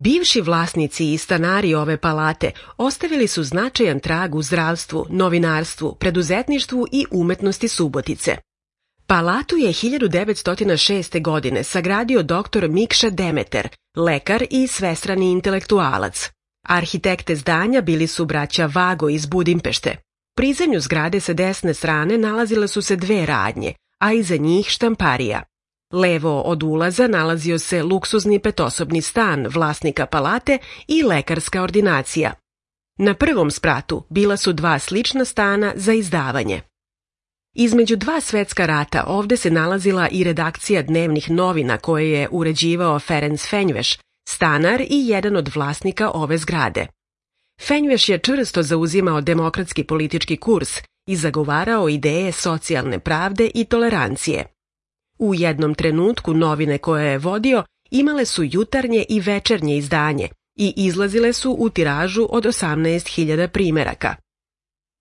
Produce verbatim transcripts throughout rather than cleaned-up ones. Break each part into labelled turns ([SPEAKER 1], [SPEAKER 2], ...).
[SPEAKER 1] Bivši vlasnici i stanari ove palate ostavili su značajan trag u zdravstvu, novinarstvu, preduzetništvu i umetnosti Subotice. Palatu je hiljadu devetsto šeste. godine sagradio doktor Mikša Demeter, lekar i svestrani intelektualac. Arhitekte zdanja bili su braća Vago iz Budimpešte. Pri zemlju zgrade sa desne strane nalazile su se dve radnje, a iza njih štamparija. Levo od ulaza nalazio se luksuzni petosobni stan vlasnika palate i lekarska ordinacija. Na prvom spratu bila su dva slična stana za izdavanje. Između dva svetska rata ovde se nalazila i redakcija dnevnih novina koje je uređivao Ferenc Fenjveš, stanar i jedan od vlasnika ove zgrade. Fenjveš je čvrsto zauzimao demokratski politički kurs i zagovarao ideje socijalne pravde i tolerancije. U jednom trenutku novine koje je vodio imale su jutarnje i večernje izdanje i izlazile su u tiražu od osamnaest hiljada primeraka.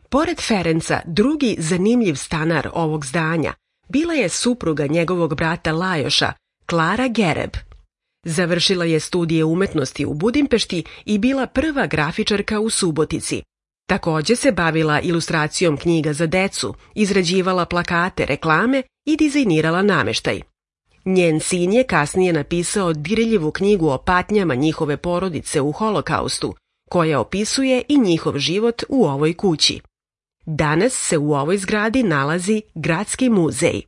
[SPEAKER 1] Pored Ferenca, drugi zanimljiv stanar ovog zdanja bila je supruga njegovog brata Lajoša, Klara Gereb. Završila je studije umetnosti u Budimpešti i bila prva grafičarka u Subotici. Takođe se bavila ilustracijom knjiga za decu, izrađivala plakate, reklame i dizajnirala nameštaj. Njen sin je kasnije napisao dirljivu knjigu o patnjama njihove porodice u Holokaustu, koja opisuje i njihov život u ovoj kući. Danas se u ovoj zgradi nalazi Gradski muzej.